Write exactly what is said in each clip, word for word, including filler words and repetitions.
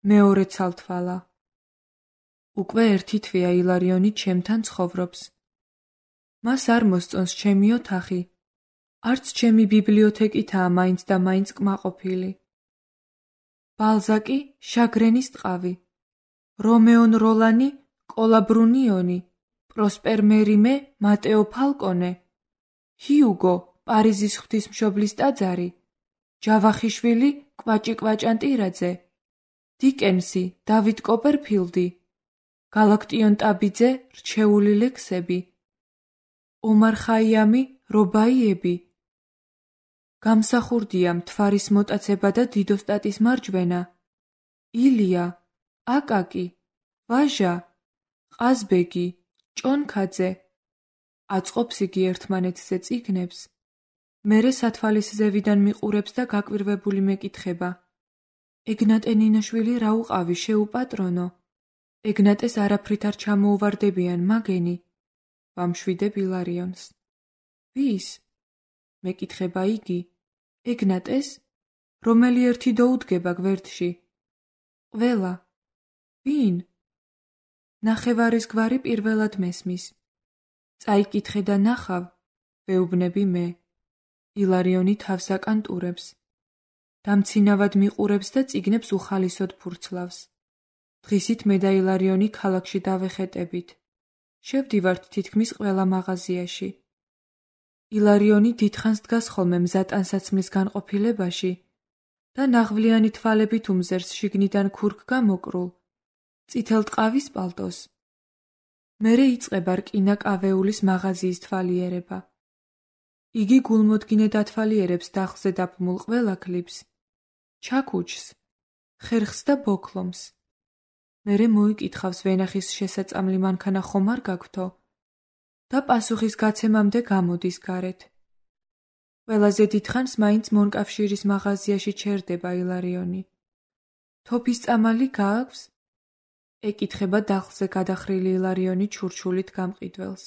მეორე ცალთვალა. უკვე ერთი თვეა ილარიონი ჩემთან ცხოვრობს. მას არ მოსწონს ჩემი ოთახი, არც ჩემი ბიბლიოთეკითაა მაინც და მაინც კმაყოფილი. ბალზაკი შაგრენის ტყავი, რომეონ როლანი კოლაბრუნიონი, პროსპერ მერიმე მატეო ფალკონე, ჰიუგო პარიზის ღვთისმშობლის ტაძარი, ჯავახიშვილი კვაჭი კვაჭანტირაძე, დიკენსი დავით კოპერფილდი, გალაქტიონ ტაბიძე რჩეული ლექსები, ომარ ხაიამი რობაიები. გამსახურდია მთვარის მოტაცება და დიდოსტატის მარჯვენა, ილია, აკაკი, ვაჟა, ყაზბეგი, ჭონქაძე. აწყობს იგი ერთმანეთზე წიგნებს, მერე სათვალისზევიდან მიყურებს და გაკვირვებული მეკითხება. ეგნატე ნინოშვილი რა უყავი შეუპატრონო? ეგნატეს არაფრით არ ჩამოუვარდებიან მაგენი. ვამშვიდებ ილარიონს. ვის? მეკითხება იგი. ეგნატეს? რომელი ერთი დაუდგება გვერდში? ყველა. ვინ? ნახევარის გვარი პირველად მესმის. წაიკითხე და ნახავ, ვეუბნები მე. ილარიონი თავს აკანტურებს. დამცინავად მიყურებს და წიგნებს უხალისოდ ფურცლავს. დღისით მე და ილარიონი ქალაქში დავეხეტებით. შევდივართ თითქმის ყველა მაღაზიაში. ილარიონი დიდხანს დგას ხოლმე მზა ტანსაცმლის განყოფილებაში და ნაღვლიანი თვალებით უმზერს შიგნიდან ქურქ გამოკრულ, წითელ ტყავის პალტოს. მერე იწყება რკინა კავეულის მაღაზიის თვალიერება. იგი გულმოდგინედ ათვალიერებს დახლზე დაფმულ ყველა ქლიფს, ჩაქუჩს, ხერხს და ბოქლომს. მერე მოიკითხავს ვენახის შესაწამლი მანქანა ხომ არ გაქვთო და პასუხის გაცემამდე გამოდის გარეთ. ყველაზე დიდხანს მაინც მონკავშირის მაღაზიაში ჩერდება ილარიონი. თოფის წამალი გააქვს? ეკითხება დახლზე გადახრილი ილარიონი ჩურჩულით გამყიდველს.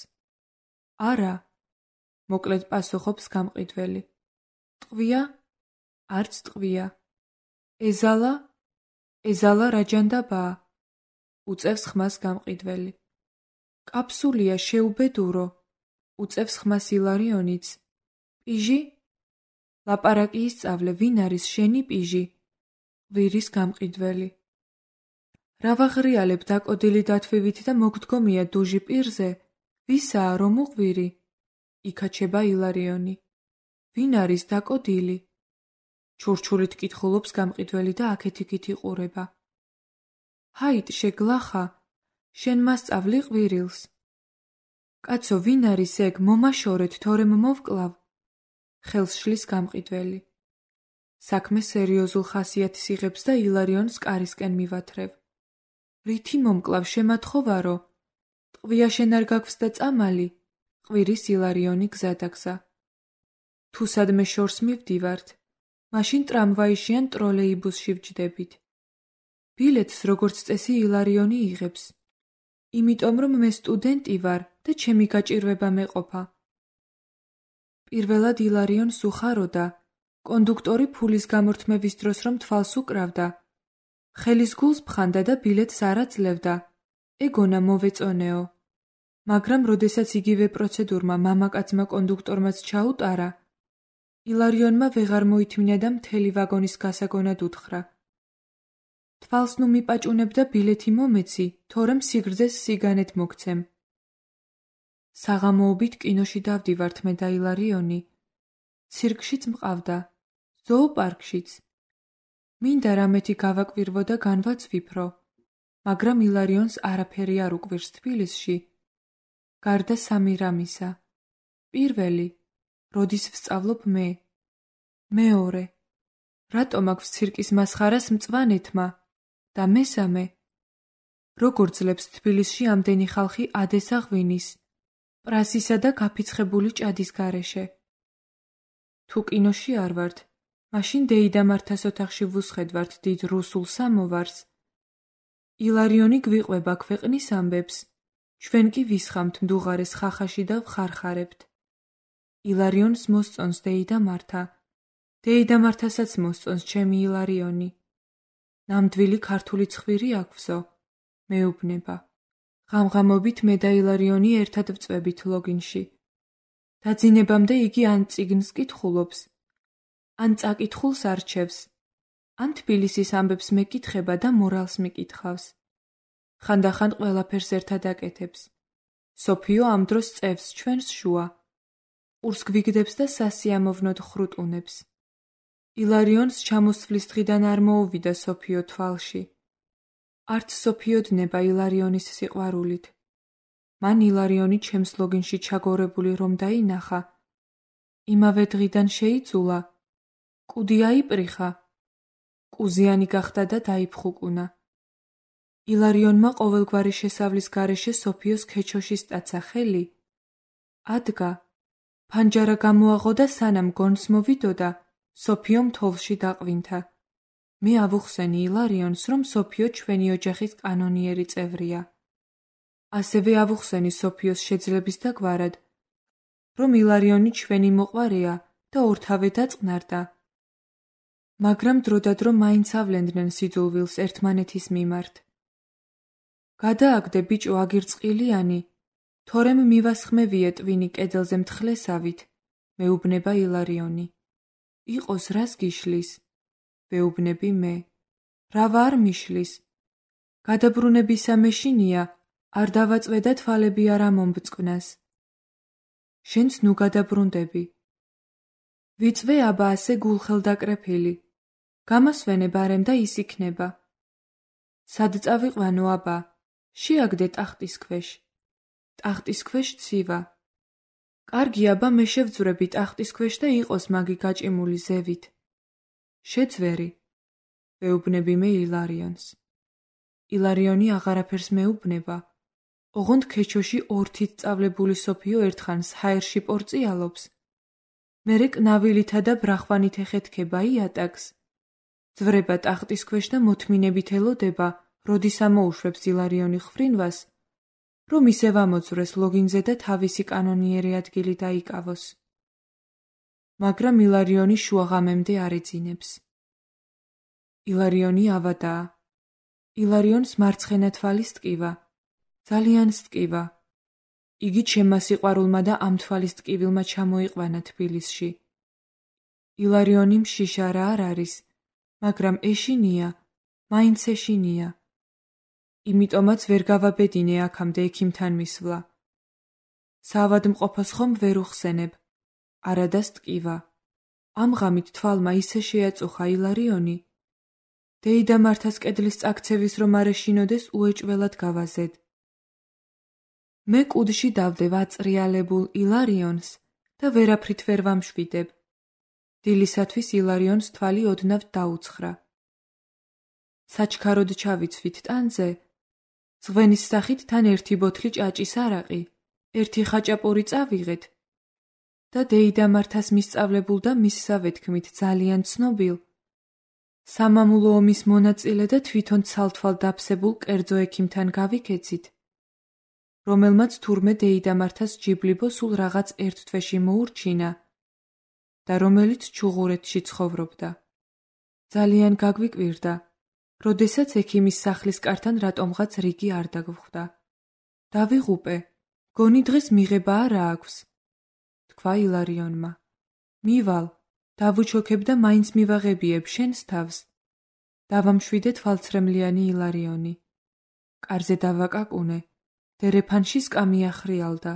არა, მოკლედ პასუხობს გამყიდველი. ტყვია? არც ტყვია. ეზალა? ეზალა რაჯანდაბაა? უწევს ხმას გამყიდველი. კაფსულია შეუბედურო, უწევს ხმას ილარიონიც. პიჟი? ლაპარაკი ისწავლე, ვინ არის შენი პიჟი? ღვირის გამყიდველი. რა ვაღრიალებ დაკოდილი დათვივით და მოგდგომია დუჟი პირზე? ვისაა რომ უღვირი? იქაჩება ილარიონი. ვინ არის დაკოდილი? ჩურჩულით კითხულობს გამყიდველი და აქეთ-იქით იყურება. ჰაით შეგლახა, შენ მასწავლი ყვირილს. კაცო, ვინ არის ეგ, მომაშორეთ, თორემ მოვკლავ. ხელს შლის გამყიდველი. საქმე სერიოზულ ხასიათს იღებს და ილარიონს კარისკენ მივათრევ. რითი მომკლავ, შემათხოვარო? ტყვია შენ არ გაქვს და წამალი? ყვირის ილარიონი გზადაგზა. თუ სადმე შორს მივდივართ, მაშინ ტრამვაიში ან ტროლეიბუსში ვჯდებით. ბილეთს როგორც წესი ილარიონი იღებს. იმიტომ რომ მე სტუდენტი ვარ და ჩემი გაჭირვება მეყოფა. პირველად ილარიონს უხაროდა, კონდუქტორი ფულის გამორთმევის დროს რომ თვალს უკრავდა, ხელის გულს ფხანდა და ბილეთს არ აძლევდა. ეგონა მოვეწონეო. მაგრამ როდესაც იგივე პროცედურმა მამაკაცმა კონდუქტორმაც ჩაუტარა, ილარიონმა ვეღარ მოითმინა და მთელი ვაგონის გასაგონად უთხრა. თვალს ნუ მიპაჭუნებ და ბილეთი მომეცი, თორემ სიგრძეს სიგანეთ მოგცემ. საღამოობით კინოში დავდივართ მე და ილარიონი. ცირკშიც მყავდა, ზოოპარკშიც. მინდა რამეთი გავაკვირვო და განვაცვიფრო, მაგრამ ილარიონს არაფერი არ უკვირს თბილისში. გარდა სამი რამისა. პირველი, როდის ვსწავლობ მე. მეორე, რატომ აქვს ცირკის მასხარას მწვანეთმა და მესამე, როგორ ძლებს თბილისში ამდენი ხალხი ადესა ღვინის, პრასისა და გაფიცხებული ჭადის გარეშე. თუ კინოში არ ვართ, მაშინ დეიდა მართას ოთახში ვუსხედვართ დიდ რუსულ სამოვარს. ილარიონი გვიყვება ქვეყნის ამბებს, ჩვენ კი ვისხამთ მდუღარეს ხახაში და ვხარხარებთ. ილარიონს მოსწონს დეიდა მართა, დეიდა მართასაც მოსწონს ჩემი ილარიონი. ნამდვილი ქართული ცხვირი აქვსო, მეუბნება. ღამღამობით მე და ილარიონი ერთად ვწვევით ლოგინში. დაძინებამდე იგი ან წიგნს კითხულობს, ან წაკითხულს არჩევს, ან თბილისის ამბებს მეკითხება და მორალს მიკითხავს. ხანდახან ყველაფერს ერთად აკეთებს. სოფიო ამ დროს წევს ჩვენს შუა. ყურს გვიგდებს და სასიამოვნოდ ხრუტუნებს. ილარიონს ჩამოსვლის დღიდან არ მოუვიდა სოფიო თვალში. არც სოფიო დნება ილარიონის სიყვარულით. მან ილარიონი ჩემს ლოგინში ჩაგორებული რომ დაინახა, იმავე დღიდან შეიძულა, კუდი აიპრიხა, კუზიანი გახდა და დაიფხუკუნა. ილარიონმა ყოველგვარი შესავლის გარეშე სოფიოს ქეჩოში სტაცა ხელი, ადგა, ფანჯარა გამოაღო და სანამ გონს მოვიდოდა, სოფიომ თოლში დაყვინთა. მე ავუხსენი ილარიონს, რომ სოფიო ჩვენი ოჯახის კანონიერი წევრია. ასევე ავუხსენი სოფიოს შეძლების დაგვარად, რომ ილარიონი ჩვენი მოყვარეა და ორთავე დაწყნარდა. მაგრამ დროდადრო მაინც ავლენდნენ სიძულვილს ერთმანეთის მიმართ. გადააგდე ბიჭო აგირწყილიანი, თორემ მივასხმევიე ტვინი კედელზე მთხლესავით, მეუბნება ილარიონი. იყოს რას გიშლის? ვეუბნები მე. რავა არ მიშლის? გადაბრუნებისა მეშინია, არ დავაწვე და თვალები არ ამომბწყნას. შენც ნუ გადაბრუნდები. ვიწვე აბა ასე გულხელდაკრეფილი. გამასვენე ბარემ და ის იქნება. სად წავიყვანო აბა? შეაგდე ტახტის ქვეშ. ტახტის ქვეშ ცივა. კარგი აბა მე შევძვრები ტახტის ქვეშ და იყოს მაგი გაჭიმული ზევით. შეძვერი. ვეუბნები მე ილარიონს. ილარიონი აღარაფერს მეუბნება. ოღონდ ქეჩოში ორთით წავლებული სოფიო ერთხანს ჰაერში პორწიალობს. მერე კნავილითა და ბრახვანით ეხეთქება იატაკს. ძვრება ტახტის ქვეშ და მოთმინებით ელოდება, როდის ამოუშვებს ილარიონი ხვრინვას, რომ ისევ ამოძვრეს ლოგინზე და თავისი კანონიერი ადგილი დაიკავოს. მაგრამ ილარიონი შუაღამემდე არ ეძინებს. ილარიონი ავადაა. ილარიონს მარცხენა თვალის ტკივა. ძალიან სტკივა. იგი ჩემმა სიყვარულმა და ამ თვალის ტკივილმა ჩამოიყვანა თბილისში. ილარიონი მშიშარა არ არის, მაგრამ ეშინია, მაინც ეშინია. იმიტომაც ვერ გავაბედინე აქამდე ექიმთან მისვლა. საავადმყოფოს ხომ ვერ უხსენებ, არადა სტკივა. ამ ღამით თვალმა ისე შეაწუხა ილარიონი. დეიდა მართას კედლის წაქცევის რომ არ ეშინოდეს უეჭველად გავაზედ. მე კუდში დავდევ აწრიალებულ ილარიონს და ვერაფრით ვერ ვამშვიდებ. დილისათვის ილარიონს თვალი ოდნავ დაუცხრა. საჩქაროდ ჩავიცვით ტანზე, ზღვენის სახით თან ერთი ბოთლი ჭაჭის არაყი, ერთი ხაჭაპური წავიღეთ და დეიდა მართას მისწავლებულ და მისსავე თქმით ძალიან ცნობილ, სამამულო ომის მონაწილე და თვითონ ცალთვალ დაფსებულ კერძო ექიმთან გავიქეცით, რომელმაც თურმე დეიდა მართას ჯიბლიბო სულ რაღაც ერთ თვეში მოურჩინა და რომელიც ჩუღურეთში ცხოვრობდა. ძალიან გაგვიკვირდა, როდესაც ექიმის სახლის კართან რატომღაც რიგი არ დაგვხვდა. დავიღუპე, გონი დღეს მიღება არა აქვს, თქვა ილარიონმა. მივალ, დავუჩოქებ და მაინც მივაღებიებ შენს თავს. დავამშვიდე თვალცრემლიანი ილარიონი. კარზე დავაკაკუნე, დერეფანში სკამი ახრიალდა.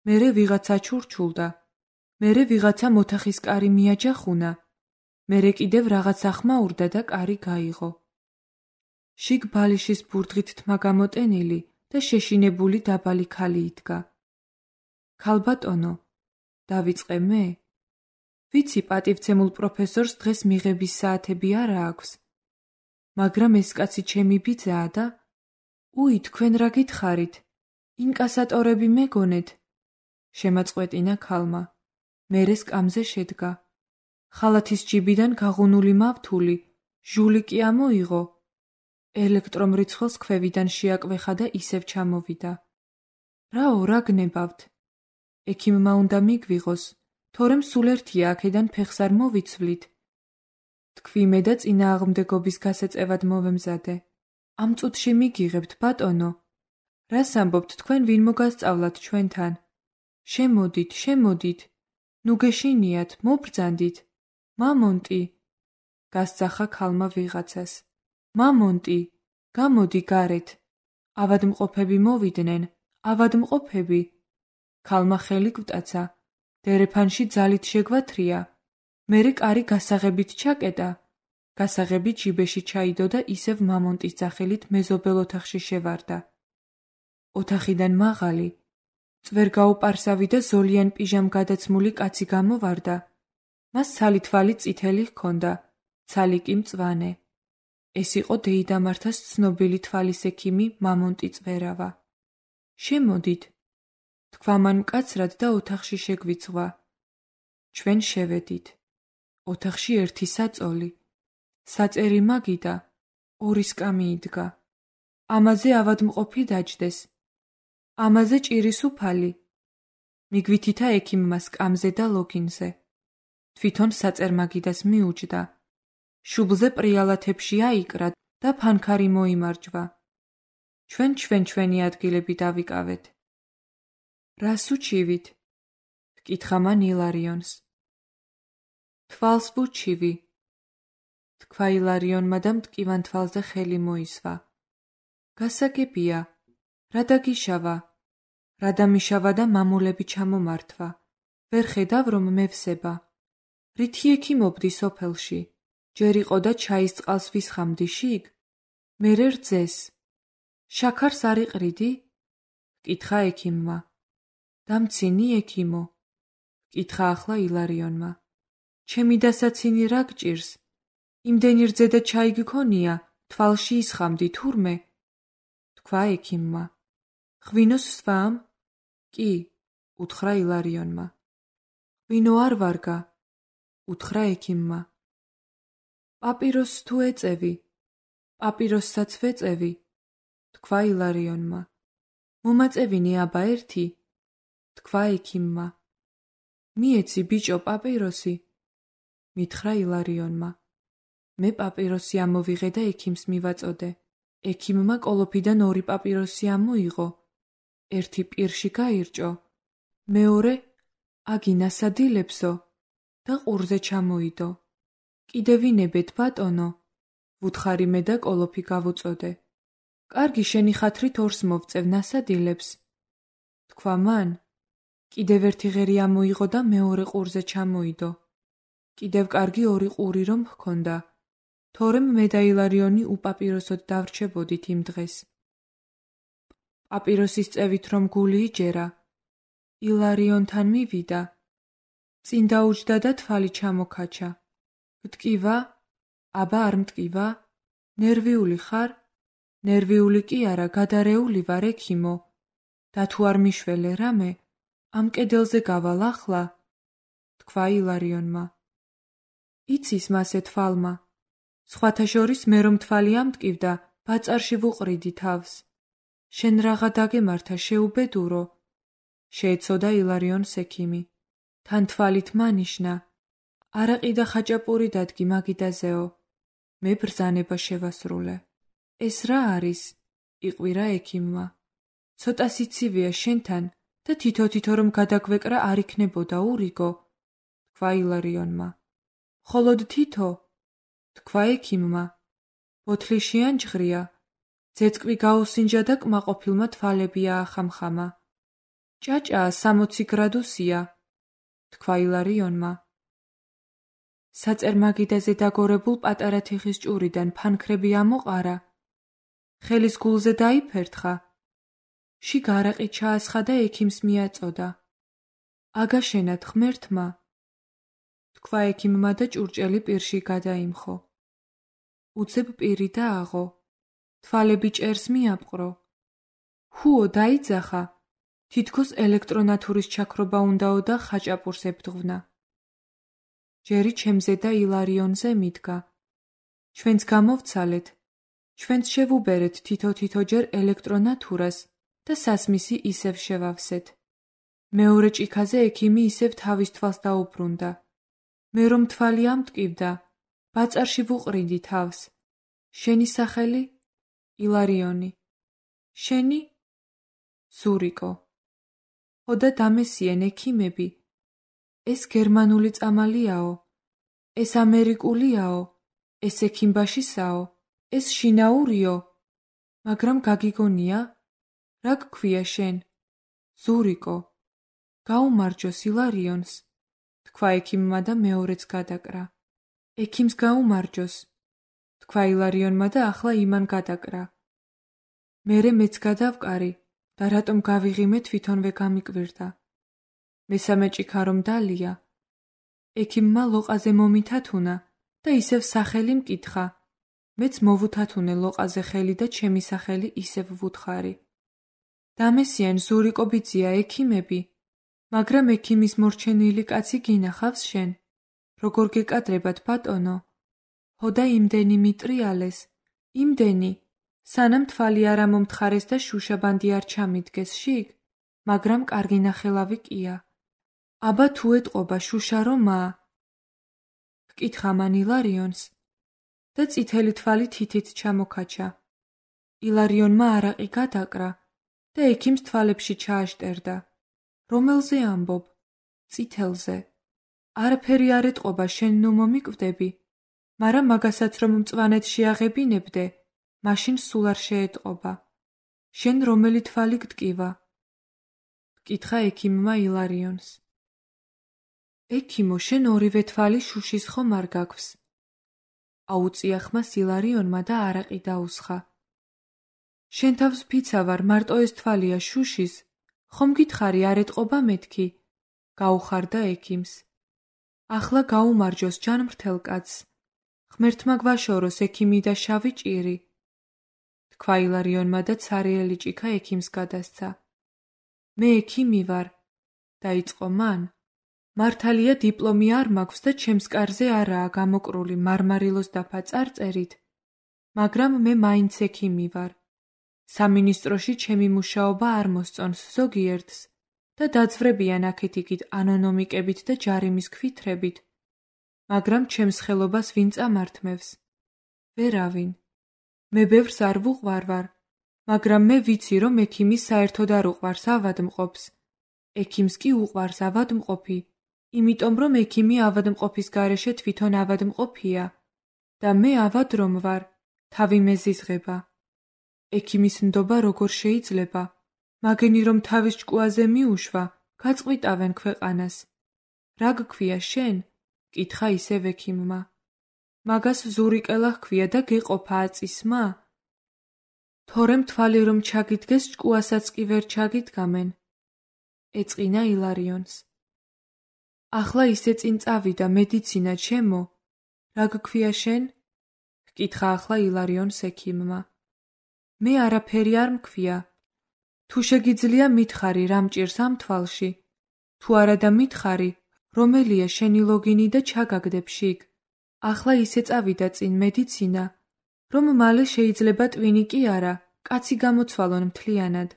მერე ვიღაცა ჩურჩულდა, მერე ვიღაცა მოთახის კარი მიაჯახუნა, მერე კიდევ რაღაც ახმაურდა და კარი გაიღო. შიგ ბალიშის ბურდღით თმა გამოტენილი და შეშინებული დაბალი ქალი იდგა. ქალბატონო, დავიწყე მე? ვიცი პატივცემულ პროფესორს დღეს მიღების საათები არა აქვს, მაგრამ ეს კაცი ჩემი ბიძაა და უი, თქვენ რა გითხარით? ინკასატორები მეგონეთ? შემაწყვეტინა ქალმა. მერე სკამზე შედგა. ხალათის ჯიბიდან გაღუნული მავთული, ჟული კი ამოიღო. ელექტრომრიცხველს ქვევიდან შეაკვეხა და ისევ ჩამოვიდა. რაო, რა გნებავთ? ექიმმა უნდა მიგვიღოს, თორემ სულ ერთია აქედან ფეხს არ მოვიცვლით. თქვი მე და წინააღმდეგობის გასაწევად მოვემზადე. ამ წუთში მიგიღებთ, ბატონო. რას ამბობთ თქვენ ვინ მოგასწავლათ ჩვენთან? შემოდით, შემოდით. ნუ გეშინიათ, მობრძანდით. მამონტი. გასძახა ქალმა ვიღაცას. მამონტი, გამოდი გარეთ. ავადმყოფები მოვიდნენ, ავადმყოფები. ქალმა ხელი გვტაცა. დერეფანში ძალით შეგვათრია. მერე კარი გასაღებით ჩაკეტა. გასაღები ჯიბეში ჩაიდო და ისევ მამონტის ძახილით მეზობელ ოთახში შევარდა. ოთახიდან მაღალი, წვერგაუპარსავი და ზოლიან პიჟამ გადაცმული კაცი გამოვარდა. მას ცალი თვალი წითელი ჰქონდა, ცალი კი მწვანე. ეს იყო დეიდამართას ცნობილი თვალის ექიმი მამონტი წვერავა. შემოდით, თქვა მან მკაცრად და ოთახში შეგვიძღვა. ჩვენ შევედით. ოთახში ერთი საწოლი. საწერი მაგიდა, ორი სკამი იდგა. ამაზე ავადმყოფი დაჯდეს. ამაზე ჭირის უფალი. მიგვითითა ექიმმა სკამზე და ლოგინზე. თვითონ საწერ-მაგიდას მიუჯდა. შუბლზე პრიალათებში აიკრა და ფანქარი მოიმარჯვა. ჩვენ ჩვენ ჩვენი ადგილები დავიკავეთ. რას უჩივით? ჰკითხა მან ილარიონს. თვალს ვუჩივი. თქვა ილარიონმა და მტკივან თვალზე ხელი მოისვა. გასაგებია, რა დაგიშავა? რა დამიშავა და მამულები ჩამომართვა. ვერ ხედავ რომ მევსება. რითი ექიმობდი სოფელში? ჯერ იყო და ჩაის წყალს ვისხამდი შიგ? მერე რძეს. შაქარს არ იყრიდი? ჰკითხა ექიმმა. დამცინი ექიმო? ჰკითხა ახლა ილარიონმა. ჩემი დასაცინი რა გჭირს? იმდენი რძე და ჩაი გქონია, თვალში ისხამდი თურმე? თქვა ექიმმა. ღვინოს სვამ? კი, უთხრა ილარიონმა. ღვინო არ ვარგა, უთხრა ექიმმა. პაპიროსს თუ ეწევი? პაპიროსსაც ვეწევი, თქვა ილარიონმა. მომაწევინე აბა ერთი? თქვა ექიმმა. მიეცი ბიჭო პაპიროსი? მითხრა ილარიონმა. მე პაპიროსი ამოვიღე და ექიმს მივაწოდე. ექიმმა კოლოფიდან ორი პაპიროსი ამოიღო. ერთი პირში გაირჭო. მეორე აგინასადილებსო და ყურზე ჩამოიდო. კიდე ვინებეთ ბატონო? ვუთხარი მე და კოლოფი გავუწოდე. კარგი შენი ხათრით ორს მოვწევ ნასადილებს. თქვა მან. კიდევ ერთი ღერი ამოიღო და მეორე ყურზე ჩამოიდო. კიდევ კარგი ორი ყური რომ ჰქონდა. თორემ მე და ილარიონი უპაპიროსოდ დავრჩებოდით იმ დღეს. პაპიროსის წევით რომ გული იჯერა. ილარიონთან მივიდა. წინ დაუჯდა და თვალი ჩამოქაჩა. მტკივა? აბა არ მტკივა? ნერვიული ხარ? ნერვიული კი არა, გადარეული ვარ ექიმო. და თუ არ მიშველე რამე, ამ კედელზე გავალ ახლა? თქვა ილარიონმა. იცის მასე თვალმა. სხვათა შორის მე რომ თვალი ამტკივდა, ბაწარში ვუყრიდი თავს. შენ რაღა დაგემართა შეუბედურო? შეეცოდა ილარიონს ექიმი. თან თვალით მანიშნა. არაყი და ხაჭაპური დადგი მაგიდაზეო. მე ბრძანება შევასრულე. ეს რა არის? იყვირა ექიმმა. ცოტა სიცივეა შენთან და თითო-თითო რომ გადაგვეკრა არ იქნებოდა ურიგო? თქვა ილარიონმა. მხოლოდ თითო? თქვა ექიმმა. ბოთლიში ანჯღრია. ძეწკვი გაუსინჯა და კმაყოფილმა თვალები აახამხამა. ჭაჭაა სამოცი გრადუსია. თქვა ილარიონმა. საწერ-მაგიდაზე დაგორებულ პატარა თიხის ჭურიდან ფანქრები ამოყარა. ხელის გულზე დაიფერთხა. შიგ არაყი ჩაასხა და ექიმს მიაწოდა. აგაშენათ ღმერთმა. თქვა ექიმმა და ჭურჭელი პირში გადაიმხო. უძებ პირი დააღო. თვალები ჭერს მიაპყრო. ჰუო დაიძახა. თითქოს ელექტრონათურის ჩაქრობა უნდაო და ხაჭაპურს ებდღვნა. ჯერი ჩემზე და ილარიონზე მიდგა. ჩვენც გამოვცალეთ. ჩვენც შევუბერეთ თითო-თითოჯერ ელექტრონათურას და სასმისი ისევ შევავსეთ. მეორე ჭიქაზე ექიმი ისევ თავის თვალს დაუბრუნდა. მე რომ თვალი ამტკივდა, ბაწარში ვუყრიდი თავს. შენი სახელი? ილარიონი. შენი? ზურიკო. ხოდა დამესიენ ექიმები. ეს გერმანული წამალიაო, ეს ამერიკულიაო, ეს ექიმბაშისაო, ეს შინაურიო, მაგრამ გაგიგონია? რა გქვია შენ? ზურიკო. გაუმარჯოს ილარიონს, თქვა ექიმმა და მეორეც გადაკრა. ექიმს გაუმარჯოს, თქვა ილარიონმა და ახლა იმან გადაკრა. მერე მეც გადავკარი და რატომ გავიღიმე თვითონვე გამიკვირდა. მესამე ჭიქა რომ დალია, ექიმმა ლოყაზე მომითათუნა და ისევ სახელი მკითხა. მეც მოვუთათუნე ლოყაზე ხელი და ჩემი სახელი ისევ ვუთხარი. დამესიან ზურიკო ბიძია ექიმები, მაგრამ ექიმის მორჩენილი კაცი გინახავს შენ. როგორ გეკადრებათ ბატონო? ჰოდა იმდენი მიტრიალეს, იმდენი, სანამ თვალი არ ამომთხარეს და შუშაბანდი არ ჩამიდგეს შიგ, მაგრამ კარგი ნახელავი კია. აბა თუ ეტყობა შუშა რომაა? ჰკითხა მან ილარიონს და წითელი თვალი თითით ჩამოქაჩა. ილარიონმა არაყი გადაკრა და ექიმს თვალებში ჩააშტერდა. რომელზე ამბობ? წითელზე. არაფერი არ ეტყობა შენ ნუ მომიკვდები, მაგრამ მაგასაც რომ მწვანედ შეაღებინებდე, მაშინ სულ არ შეეტყობა. შენ რომელი თვალი გტკივა? ჰკითხა ექიმმა ილარიონს. ექიმო, შენ ორივე თვალი შუშის ხომ არ გაგვს? აუწია ხმას ილარიონმა და არაყი დაუსხა. შენ თავს ფიცა ვარ, მარტო ეს თვალია შუშის, ხომ გითხარი არ ეტყობა მეთქი? გაუხარდა ექიმს. ახლა გაუმარჯოს ჯანმრთელ კაცს. ღმერთმა გვაშოროს ექიმი და შავი ჭირი. თქვა ილარიონმა და ცარიელი ჭიქა ექიმს გადასცა. მე ექიმი ვარ, დაიწყო მან. მართალია დიპლომი არ მაქვს და ჩემს კარზე არაა გამოკრული მარმარილოს დაფა წარწერით, მაგრამ მე მაინც ექიმი ვარ. სამინისტროში ჩემი მუშაობა არ მოსწონს ზოგიერთს და დაძვრებიან აქეთ-იქით ანონიმიკებით და ჯარიმის ქვითრებით, მაგრამ ჩემს ხელობას ვინ წამართმევს? ვერავინ. მე ბევრს არ ვუყვარვარ, მაგრამ მე ვიცი, რომ ექიმი საერთოდ არ უყვარს ავადმყოფს. ექიმს კი უყვარს ავადმყოფი, იმიტომ რომ ექიმი ავადმყოფის გარეშე თვითონ ავადმყოფია და მე ავად რომ ვარ, თავი მეზიზღება. ექიმის ნდობა როგორ შეიძლება? მაგენი რომ თავის ჭკუაზე მიუშვა, გაწყვიტავენ ქვეყანას. რა გქვია შენ? კითხა ისევ ექიმმა. მაგას ზურიკელა ჰქვია და გეყოფა აწისმა? თორემ თვალი რომ ჩაგიდგეს ჭკუასაც კი ვერ ჩაგიდგამენ. ეწყინა ილარიონს. ახლა ისე წინ წავიდა მედიცინა ჩემო. რა გქვია შენ? ჰკითხა ახლა ილარიონს ექიმმა. მე არაფერი არ მქვია. თუ შეგიძლია მითხარი რა მჭირს ამ თვალში. თუ არა და მითხარი, რომელია შენი ლოგინი და ჩაგაგდებ შიგ. ახლა ისე წავიდა წინ მედიცინა, რომ მალე შეიძლება ტვინი კი არა, კაცი გამოცვალონ მთლიანად.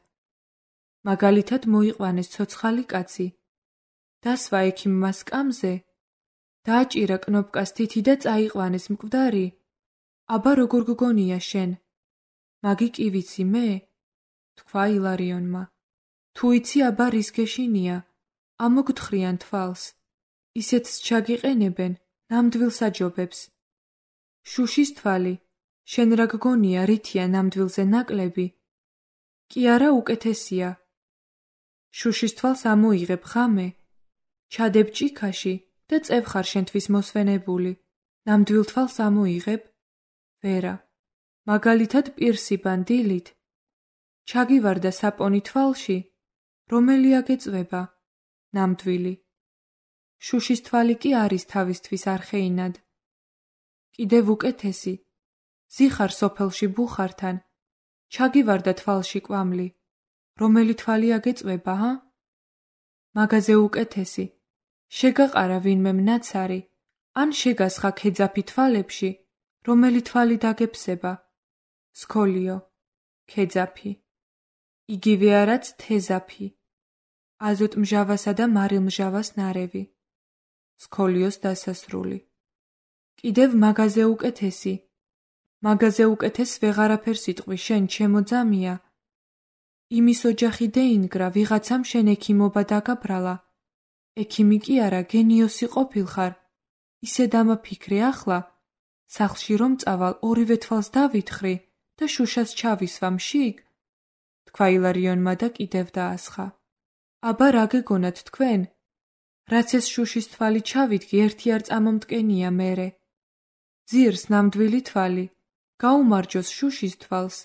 მაგალითად მოიყვანეს ცოცხალი კაცი. დასვა ექიმმა სკამზე, დააჭირა კნოპკას თითი და წაიყვანეს მკვდარი. აბა როგორ გგონია შენ? მაგი კი ვიცი მე? თქვა ილარიონმა. თუ იცი აბა რის გეშინია, ამოგთხრიან თვალს. ისეთს ჩაგიყენებენ, ნამდვილ საჯობებს. შუშის თვალი, შენ რა გგონია რითია ნამდვილზე ნაკლები? კი არა უკეთესია. შუშის თვალს ამოიღებ ხამე, ჩადებ ჭიქაში და წევხარ შენთვის მოსვენებული. ნამდვილ თვალს ამოიღებ? ვერა. მაგალითად პირსიბან დილით. ჩაგივარდა საპონი თვალში, რომელი აგეწვება? ნამდვილი. შუშის თვალი კი არის თავისთვის არხეინად. კიდევ უკეთესი. ზიხარ სოფელში ბუხართან. ჩაგივარდა თვალში კვამლი. რომელი თვალი აგეწვება, ჰა? მაგაზე უკეთესი. შეგაყარა ვინმე მნაცარი, ან შეგასხა ქეძაფი თვალებში, რომელი თვალი დაგეფსება? სქოლიო, ქეძაფი. იგივე არაც თეზაფი. აზოტმჟავასა და მარილმჟავას ნარევი. სქოლიოს დასასრული. კიდევ მაგაზე უკეთესი. მაგაზე უკეთეს ვეღარაფერს იტყვი შენ, ჩემო ძამია. იმის ოჯახი დეინგრა, ვიღაცამ შენ ექიმობა დაგაბრალა. ექიმი კი არა, გენიოსი ყოფილხარ. ისე დამაფიქრე ახლა, სახლში რომ წავალ, ორივე თვალს დავითხრი და შუშას ჩავისვამ შიგ. თქვა ილარიონმა და კიდევ დაასხა. აბა რა გეგონათ თქვენ? რაც ეს შუშის თვალი ჩავიდგი, ერთი არ წამომტკენია მერე. ძირს ნამდვილი თვალი, გაუმარჯოს შუშის თვალს.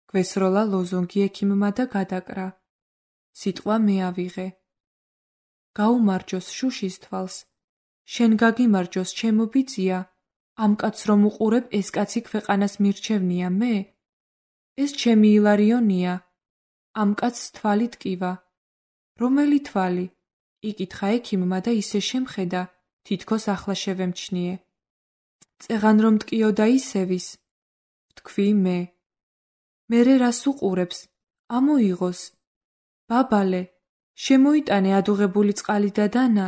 გვესროლა ლოზუნგი ექიმმა და გადაკრა. სიტყვა მე ავიღე. გაუმარჯოს შუშის თვალს. შენ გაგიმარჯოს, ჩემო ბიძია, ამ კაცს რომ უყურებ, ეს კაცი ქვეყანას მირჩევნია მე? ეს ჩემი ილარიონია. ამ კაცს თვალი ტკივა. რომელი თვალი? იკითხა ექიმმა და ისე შემხედა, თითქოს ახლა შევემჩნიე. წეღან რომ ტკიოდა ისევის. ვთქვი მე. მერე რას უყურებს? ამოიღოს. ბაბალე, შემოიტანე ადუღებული წყალი და დანა.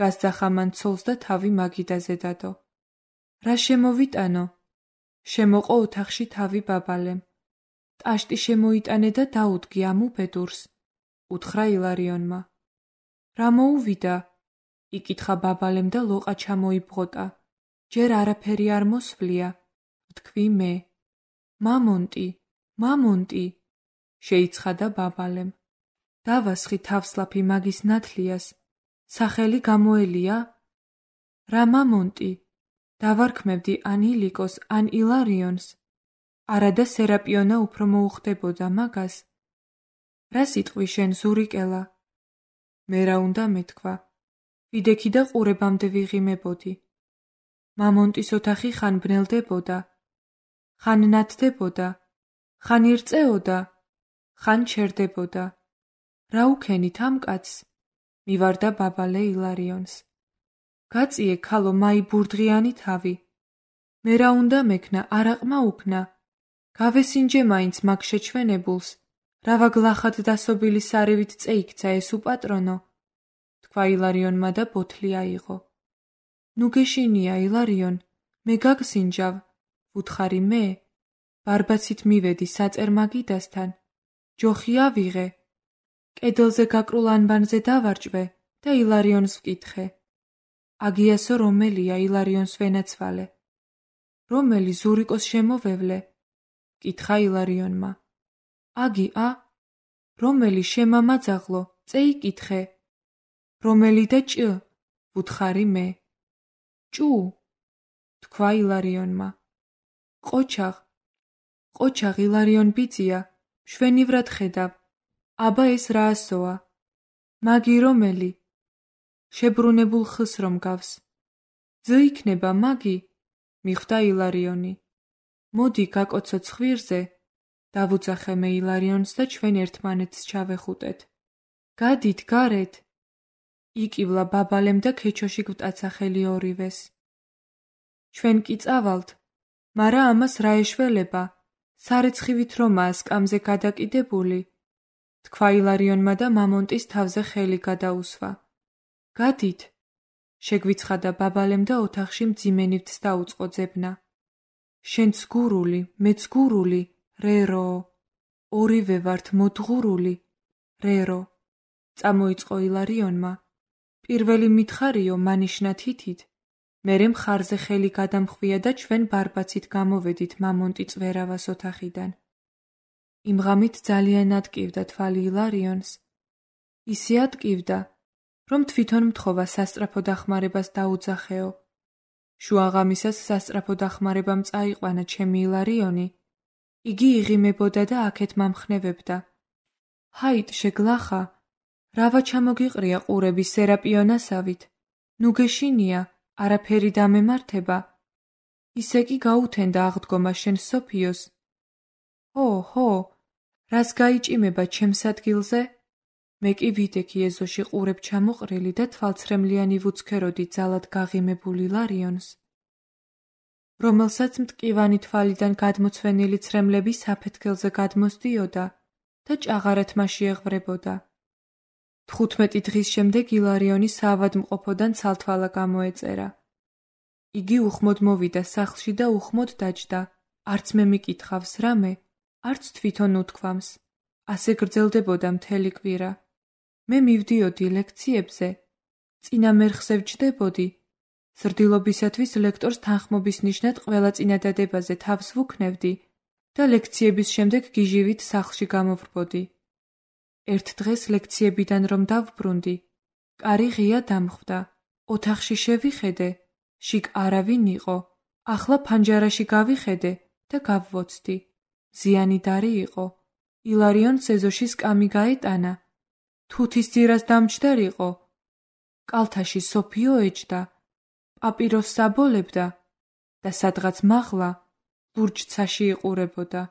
გასძახა მან ცოლს და თავი მაგიდაზე დადო. რა შემოვიტანო? შემოყო ოთახში თავი ბაბალემ. ტაშტი შემოიტანე და დაუდგი ამ უბედურს. უთხრა ილარიონმა. რა მოუვიდა? იკითხა ბაბალემ და ლოყა ჩამოიბღოტა. ჯერ არაფერი არ მოსვლია. ვთქვი მე. მამონტი, მამონტი, შეიცხადა ბაბალემ. დავასხი თავსლაფი მაგის ნათლიას. სახელი გამოელია? რა მამონტი? დავარქმევდი ან ილიკოს, ან ილარიონს. არადა სერაპიონა უფრო მოუხდებოდა მაგას. რა სიტყვი შენ, ზურიკელა? მე რა უნდა მეთქვა? ვიდექი და ყურებამდე ვიღიმებოდი. მამონტის ოთახი ხან ბნელდებოდა, ხან ნათდებოდა, ხან ირწეოდა, ხან ჩერდებოდა. რა უქენით ამ კაცს? მივარდა ბაბალე ილარიონს. გაწიე ქალო მაი ბურდღიანი თავი. მე რა უნდა მექნა, არაყმა უქნა. გავესინჯე მაინც მაგ შეჩვენებულს. რავა გლახად დასობილი სარევით წეიქცა ეს უპატრონო. თქვა ილარიონმა და ბოთლი აიღო. ნუ გეშინია ილარიონ, მე გაგსინჯავ, ვუთხარი მე. ბარბაცით მივედი საწერ მაგიდასთან. ჯოხი ავიღე. კედელზე გაკრულ ანბანზე დავარჭვე და ილარიონს ვკითხე. აგიასო რომელია? ილარიონს ვენაცვალე. რომელი? ზურიკოს შემოვევლე? კითხა ილარიონმა. აგი ა? რომელი? შემამაძაღლო, წეიკითხე. რომელი და ჭ? ვუთხარი მე. ჭუ? თქვა ილარიონმა. ყოჩაღ, ყოჩაღ ილარიონ ბიძია, მშვენივრად ხედავ. აბა ეს რაასოა? მაგი რომელი? შებრუნებულ ხს რომ გავს. ძ იქნება მაგი? მიხვდა ილარიონი. მოდი გაკოცო ცხვირზე. დავუძახე მე ილარიონს და ჩვენ ერთმანეთს ჩავეხუტეთ. გადით გარეთ. იკივლა ბაბალემ და ქეჩოში გვტაცა ხელი ორივეს. ჩვენ კი წავალთ, მარა ამას რა ეშველება? სარეცხივით რომაა სკამზე გადაკიდებული. თქვა ილარიონმა და მამონტის თავზე ხელი გადაუსვა. გადით. შეგვიცხადა ბაბალემ და ოთახში მძიმენივთს დაუწყო ძებნა. შენც გურული, მეც გურული, რერო. ორივე ვართ მოდგურული, რერო. წამოიწყო ილარიონმა. პირველი მითხარიო მანიშნა თითით. მერე მხარზე ხელი გადამხვია და ჩვენ ბარბაცით გამოვედით მამონტი წვერავას ოთახიდან. იმ ღამით ძალიან ატკივდა თვალი ილარიონს. ისე ატკივდა, რომ თვითონ მთხოვა სასწრაფო დახმარებას დაუძახეო. შუაღამისას სასწრაფო დახმარებამ წაიყვანა ჩემი ილარიონი. იგი იღიმებოდა და აქეთ მამხნევებდა. ჰაით შეგლახა, რავა ჩამოგიყრია ყურების სერაპიონასავით. ნუ გეშინია, არაფერი დამემართება. ისე კი გაუთენდა აღდგომა შენ სოფიოს. ჰო, ჰო, რას გაიჭიმება ჩემს ადგილზე? მე კი ვიდექი ეზოში ყურებ ჩამოყრილი და თვალცრემლიანი ვუცქეროდი ძალად გაღიმებულ ილარიონს, რომელსაც მტკივანი თვალიდან გადმოცვენილი ცრემლები საფეთქელზე გადმოსდიოდა და ჭაღარად მასში ეღვრებოდა. თხუთმეტი დღის შემდეგ ილარიონი საავადმყოფოდან ცალთვალა გამოეწერა. იგი უხმოდ მოვიდა სახლში და უხმოდ დაჯდა. არც მე მიკითხავს რამე, არც თვითონ უთქვამს. ასე გრძელდებოდა მთელი კვირა. მე მივდიოდი ლექციებზე, წინა მერხზე ვჯდებოდი. სრდილობისათვის ლექტორს თანხმობის ნიშნად ყველა წინადადებაზე თავს ვუქნევდი და ლექციების შემდეგ გიჟივით სახლში გამოვრბოდი. ერთ დღეს ლექციებიდან რომ დავბრუნდი, კარი ღია დამხვდა. ოთახში შევიხედე, შიგ არავინ იყო. ახლა ფანჯარაში გავიხედე და გავვოცდი. ზიანიდარი იყო. ილარიონს ეზოში სკამი გაეტანა. თუთის ძირას დამჯდარიყო. კალთაში სოფიო ეჯდა. პაპიროსს აბოლებდა და სადღაც მაღლა ლურჯცაში იყურებოდა.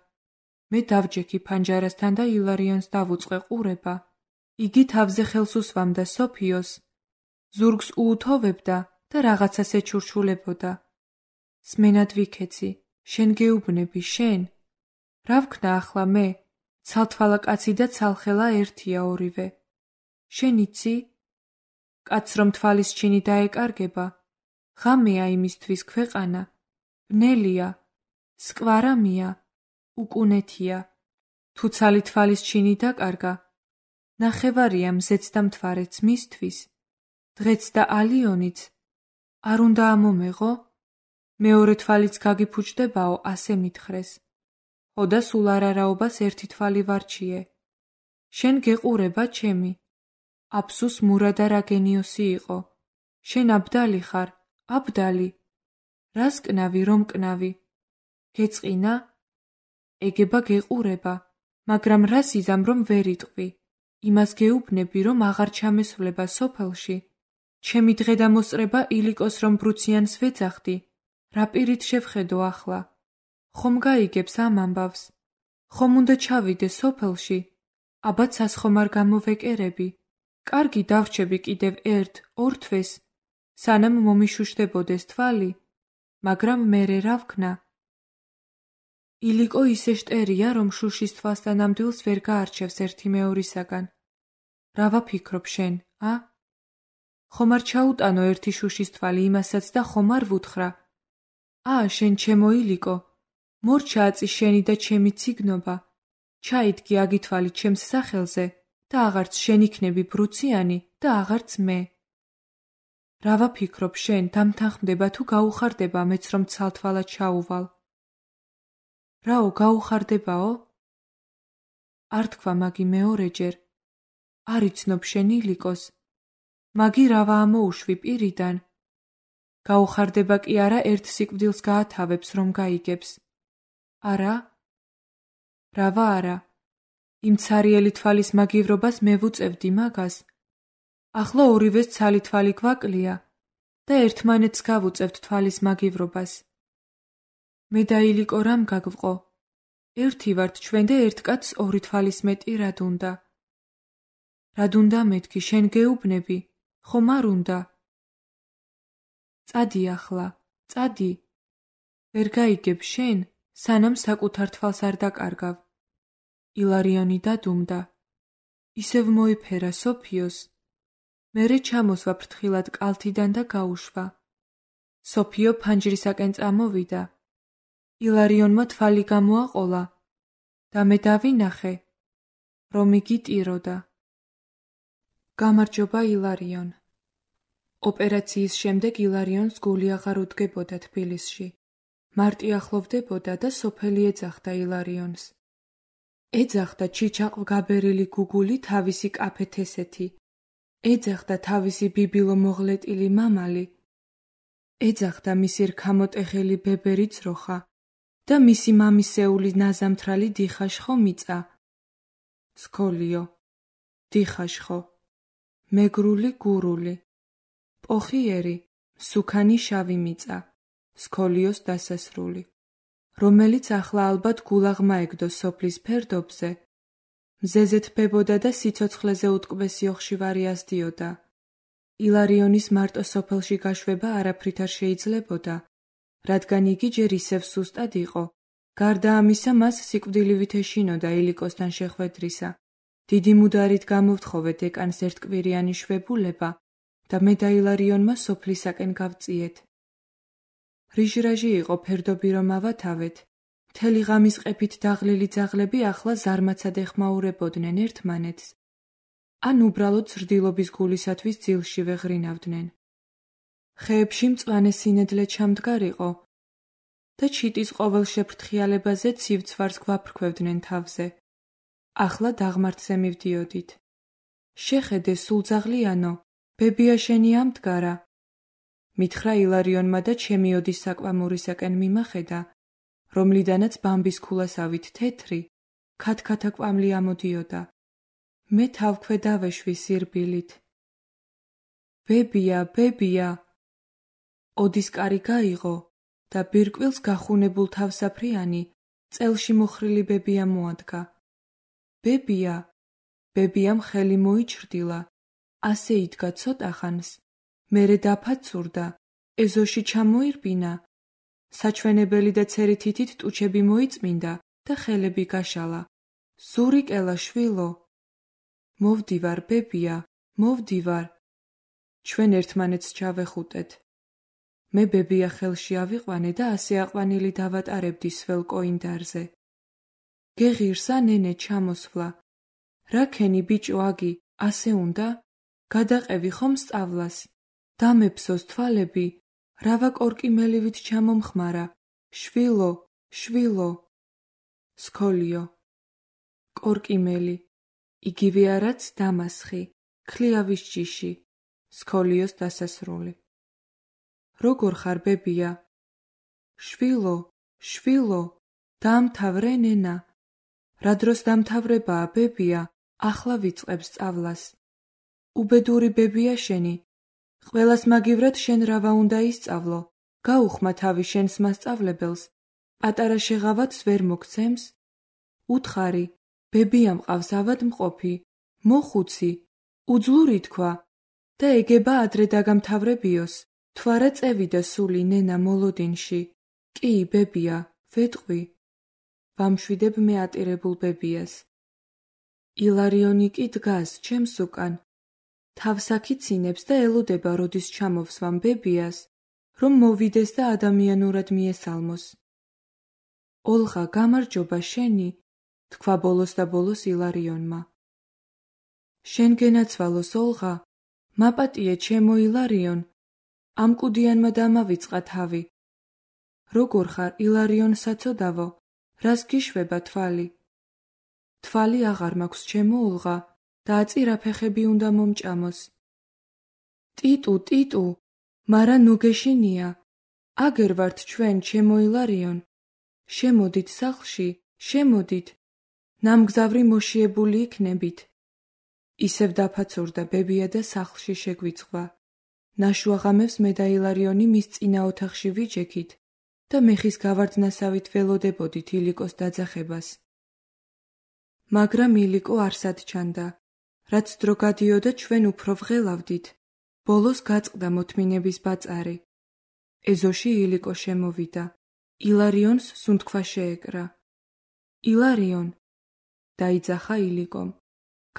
მე დავჯექი ფანჯარასთან და ილარიონს დავუწყე ყურება. იგი თავზე ხელს უსვამდა სოფიოს, ზურგს უუთოვებდა და რაღაცას ეჩურჩულებოდა. სმენად ვიქეცი, შენ გეუბნები, შენ? რა ვქნა ახლა მე? ცალთვალა კაცი და ცალხელა ერთია ორივე. შენ იცი? კაცს რომ თვალის ჩინი დაეკარგება, ღამეა იმისთვის ქვეყანა, ბნელია, სკვარამია, უკუნეთია. თუ ცალი თვალის ჩინი დაკარგა, ნახევარია მზეც და მთვარეც მისთვის, დღეც და ალიონიც. არ უნდა ამომეღო? მეორე თვალიც გაგიფუჭდებაო, ასე მითხრეს. ხო და სულ არარაობას ერთი თვალი ვარჩიე. შენ გეყურება ჩემი. აფსუს მურადა რაგენიოსი იყო. შენ აბდალი ხარ, აბდალი. რას კნავი, რომ კნავი? გეწყინა? ეგება გეყურება, მაგრამ რას იზამ რომ ვერ იტყვი? იმას გეუბნები, რომ აღარ ჩამესვლება სოფელში. ჩემი დღე და მოსწრება ილიკოს რომ ბრუციანს ვეძახდი. რა პირით შევხედო ახლა? ხომ გაიგებს ამ ამბავს? ხომ უნდა ჩავიდე სოფელში? აბა ცას ხომ არ გამოვეკერები? კარგი დავრჩები კიდევ ერთ, ორ თვეს, სანამ მომიშუშდებოდეს თვალი, მაგრამ მერე რა ვქნა? ილიკო ისე შტერია, რომ შუშის თვალსთან ნამდვილს ვერ გაარჩევს ერთი მეორისაგან. რა ვაფიქრობ შენ, ა? ხომ არ ჩაუტანო ერთი შუშის თვალი იმასაც და ხომ არ ვუთხრა? ა, შენ ჩემო ილიკო, მორჩა აწი შენი და ჩემი ციგნობა, ჩაიდგი აგითვალი ჩემს სახელზე და აღარც შენ იქნები ბრუციანი და აღარც მე. რა ვაფიქრობ შენ, დამთანხმდება თუ გაუხარდება მეც რომ ცალთვალად ჩაუვალ? რაო, გაუხარდებაო? არ თქვა მაგი მეორეჯერ. არ იცნობ შენ ილიკოს. მაგი რავა ამოუშვი პირიდან. გაუხარდება კი არა ერთ სიკვდილს გაათავებს რომ გაიგებს. არა? რავა არა? იმ ცარიელი თვალის მაგივრობას მე ვუწევდი მაგას. ახლა ორივეს ცალი თვალი გვაკლია და ერთმანეთს გავუწევთ თვალის მაგივრობას. მე და ილიკო რამ გაგვყო? ერთი ვართ ჩვენ და ერთ კაცს ორი თვალის მეტი რად უნდა? რად უნდა მეთქი, შენ გეუბნები, ხომ არ უნდა? წადი ახლა, წადი. ვერ გაიგებ შენ, სანამ საკუთარ თვალს არ დაკარგავ. ილარიონი დადუმდა. ისევ მოიფერა სოფიოს. მერე ჩამოსვა ფრთხილად კალთიდან და გაუშვა. სოფიო ფანჯრისაკენ წამოვიდა. ილარიონმა თვალი გამოაყოლა და მე დავინახე, რომ იგი ტიროდა. გამარჯობა ილარიონ. ოპერაციის შემდეგ ილარიონს გული აღარ უდგებოდა თბილისში. მარტი ახლოვდებოდა და სოფელი ეძახდა ილარიონს. ეძახდა ჩიჩაყ გაბერილი გუგული თავისი კაფეთესეთი. ეძახდა თავისი ბიბილო მოღლეტილი მამალი. ეძახდა მისი რქამოტეხილი ბებერი ძროხა და მისი მამისეული ნაზამთრალი დიხაშხო მიწა. სქოლიო, დიხაშხო, მეგრული გურული, პოხიერი, სუქანი შავი მიწა, სქოლიოს დასასრული, რომელიც ახლა ალბათ გულაღმა ეგდო სოფლის ფერდობზე, მზეზე თბებოდა და სიცოცხლეზე უტკბესი ოხშივარი ასდიოდა. ილარიონის მარტო სოფელში გაშვება არაფრით არ შეიძლებოდა, რადგან იგი ჯერ ისევ სუსტად იყო. გარდა ამისა, მას სიკვდილივით ეშინოდა ილიკოსთან შეხვედრისა. დიდი მუდარით გამოვთხოვე დეკანს ერთკვირიანი შვებულება და მე და ილარიონმა სოფლისაკენ გავწიეთ. რიჟრაჟი იყო ფერდობი რომ ავათავეთ, მთელი ღამის ყეფით დაღლილი ძაღლები ახლა ზარმაცად ეხმაურებოდნენ ერთმანეთს, ან უბრალოდ ზრდილობის გულისათვის ძილში ვეღრინავდნენ. ხეებში მწვანე სინედლე ჩამდგარიყო და ჩიტის ყოველ შეფრთხიალებაზე ცივცვარს გვაფრქვევდნენ თავზე. ახლა დაღმართზე მივდიოდით. შეხედე სულძაღლიანო, ბებია შენი ამდგარა. მითხრა ილარიონმა და ჩემი ოდის საკვამურისაკენ მიმახედა, რომლიდანაც ბამბის ქულასავით თეთრი, ქათქათა კვამლი ამოდიოდა. მე თავქვე დავეშვი სირბილით. ბებია, ბებია! ოდის კარი გაიღო და ბირკვილს გახუნებულ თავსაფრიანი წელში მოხრილი ბებია მოადგა. ბებია! ბებიამ ხელი მოიჩრდილა, ასე იდგა ცოტა ხანს, მერე დაფაცურდა, ეზოში ჩამოირბინა, საჩვენებელი და ცერითითით ტუჩები მოიწმინდა და ხელები გაშალა. ზურიკელა შვილო! მოვდივარ, ბებია, მოვდივარ. ჩვენ ერთმანეთს ჩავეხუტეთ. მე ბებია ხელში ავიყვანე და ასე აყვანილი დავატარებდი სველ კოინდარზე. გეღირსა ნენე ჩამოსვლა. რა ქენი ბიჭო აგი, ასე უნდა? გადაყევი ხომ სწავლას? დამეფსოს თვალები, რავა კორკიმელივით ჩამომხმარა. შვილო, შვილო. სქოლიო. კორკიმელი. იგივე არაც დამასხი, ქლიავის ჯიში. სქოლიოს დასასრული. როგორ ხარ ბებია? შვილო, შვილო, დაამთავრე ნენა. რა დროს დამთავრებაა ბებია, ახლა ვიწყებ სწავლას. უბედური ბებია შენი. ყველას მაგივრად შენ რავა უნდა ისწავლო. გაუხმა თავი შენს მასწავლებელს. პატარა შეღავათს ვერ მოგცემს? უთხარი, ბებია მყავს ავადმყოფი, მოხუცი, უძლური თქვა და ეგება ადრე დაგამთავრებიოს. თვარა წევიდა სული ნენა მოლოდინში. კი, ბებია, ვეტყვი. ვამშვიდებ მე ატირებულ ბებიას. ილარიონი კი დგას ჩემს უკან. თავს აქიცინებს და ელოდება როდის ჩამოვსვამ ბებიას, რომ მოვიდეს და ადამიანურად მიესალმოს. ოლღა, გამარჯობა შენი, თქვა ბოლოს და ბოლოს ილარიონმა. შენ გენაცვალოს ოლღა, მაპატიე ჩემო ილარიონ, ამ კუდიანმა დამავიწყა თავი. როგორ ხარ ილარიონ საცოდავო, რას გიშვება თვალი? თვალი აღარ მაქვს ჩემო ოლღა და აწირა ფეხები უნდა მომჭამოს. ტიტუ, ტიტუ, მარა ნუ გეშინია. აგერ ვართ ჩვენ ჩემო ილარიონ. შემოდით სახლში, შემოდით. ნამგზავრი მოშიებული იქნებით. ისევ დაფაცურდა ბებია და სახლში შეგვიწყვა. ნაშუაღამებს მე და ილარიონი მის წინა ოთახში ვიჯექით და მეხის გავარდნასავით ველოდებოდით ილიკოს დაძახებას. მაგრამ ილიკო არსად ჩანდა. რაც დრო გადიოდა ჩვენ უფრო ვღელავდით. ბოლოს გაწყდა მოთმინების ბაწარი. ეზოში ილიკო შემოვიდა. ილარიონს სუნთქვა შეეკრა. ილარიონ! დაიძახა ილიკომ.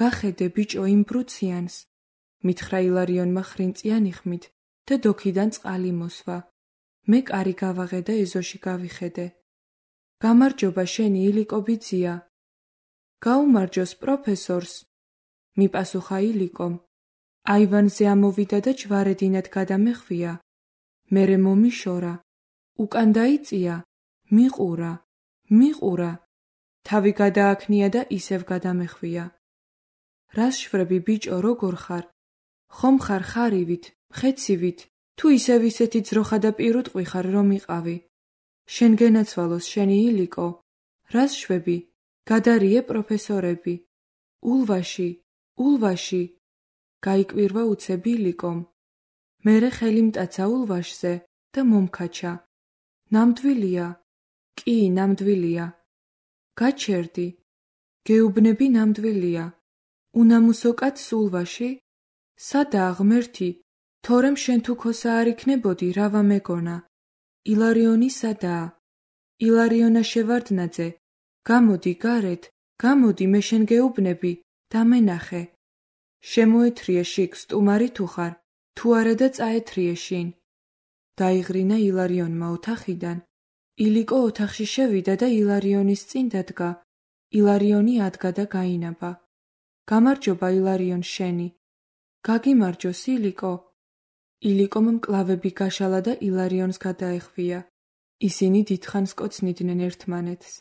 გახედე ბიჭო იმ ბრუციანს. მითხრა ილარიონმა ხრინწიანი ხმით და დოქიდან წყალი მოსვა. მე კარი გავაღე და ეზოში გავიხედე. გამარჯობა შენი ილიკო ბიძია. გაუმარჯოს პროფესორს. მიპასუხა ილიკომ. აივანზე ამოვიდა და ჯვარედინად გადამეხვია. მერე მომიშორა. უკან დაიწია. მიყურა. მიყურა. თავი გადააქნია და ისევ გადამეხვია. რას შვრები ბიჭო როგორ ხარ? ხომ ხარ ხარივით, ხეცივით, თუ ისევ ისეთი ძროხა და პირუტყვი ხარ რომ იყავი. შენ გენაცვალოს შენი ილიკო. რას შვები? გადარიე პროფესორები. ულვაში, ულვაში. გაიკვირვა უცებ ილიკომ. მერე ხელი მტაცა ულვაშზე და მომქაჩა. ნამდვილია? კი, ნამდვილია. გაჩერდი. გეუბნები ნამდვილია. უნამუსო კაცს ულვაში? სადაა ღმერთი? თორემ შენ თუ ქოსა არ იქნებოდი, რავა მეგონა. ილარიონი სადაა? ილარიონა შევარდნაძე. გამოდი გარეთ, გამოდი მე შენ გეუბნები, დამენახე. შემოეთრიე შიგ სტუმარი თუ ხარ, თუ არა და წაეთრიე შინ. დაიღრინა ილარიონმა ოთახიდან. ილიკო ოთახში შევიდა და ილარიონის წინ დადგა. ილარიონი ადგა და გაინაბა. გამარჯობა ილარიონ შენი. გაგიმარჯოს ილიკო. ილიკომ მკლავები გაშალა და ილარიონს გადაეხვია. ისინი დიდხანს კოცნიდნენ ერთმანეთს.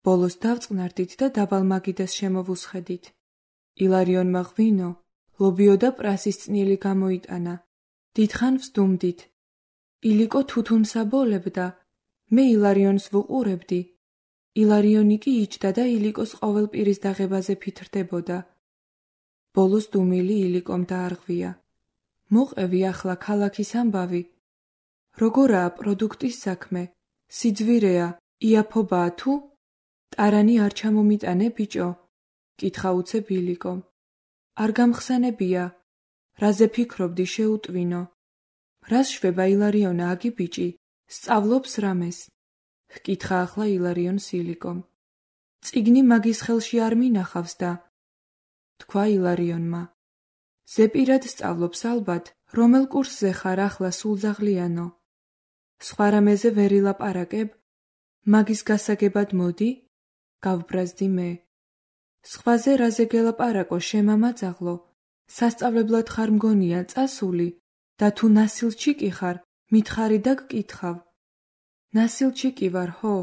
ბოლოს დავწყნარდით და დაბალ მაგიდას შემოვუსხედით. ილარიონმა ღვინო, ლობიო და პრასის წნილი გამოიტანა. დიდხან ვსდუმდით. ილიკო თუთუნს აბოლებდა. მე ილარიონს ვუყურებდი. ილარიონი კი იჯდა და ილიკოს ყოველ პირის დაღებაზე ფითრდებოდა. ბოლოს დუმილი ილიკომ დაარღვია. მოყევი ახლა ქალაქის ამბავი. როგორაა პროდუქტის საქმე? სიძვირეა, იაფობაა თუ? ტარანი არ ჩამომიტანე ბიჭო? კითხა უცებ ილიკომ. არ გამხსენებია. რაზე ფიქრობდი შეუტვინო? რას შვება ილარიონა აგი ბიჭი? სწავლობს რამეს? ჰკითხა ახლა ილარიონს ილიკომ. წიგნი მაგის ხელში არ მინახავს და თქვა ილარიონმა. ზეპირად სწავლობს ალბათ, რომელ კურსზე ხარ ახლა სულძაღლიანო? სხვა რამეზე ვერ ილაპარაკებ? მაგის გასაგებად მოდი? გავბრაზდი მე. სხვაზე რაზე გელაპარაკო შემამაძაღლო? სასწავლებლად ხარ მგონია წასული და თუ ნასილჩი კი ხარ, მითხარი და გკითხავ. ნასილჩი კი ვარ, ხო?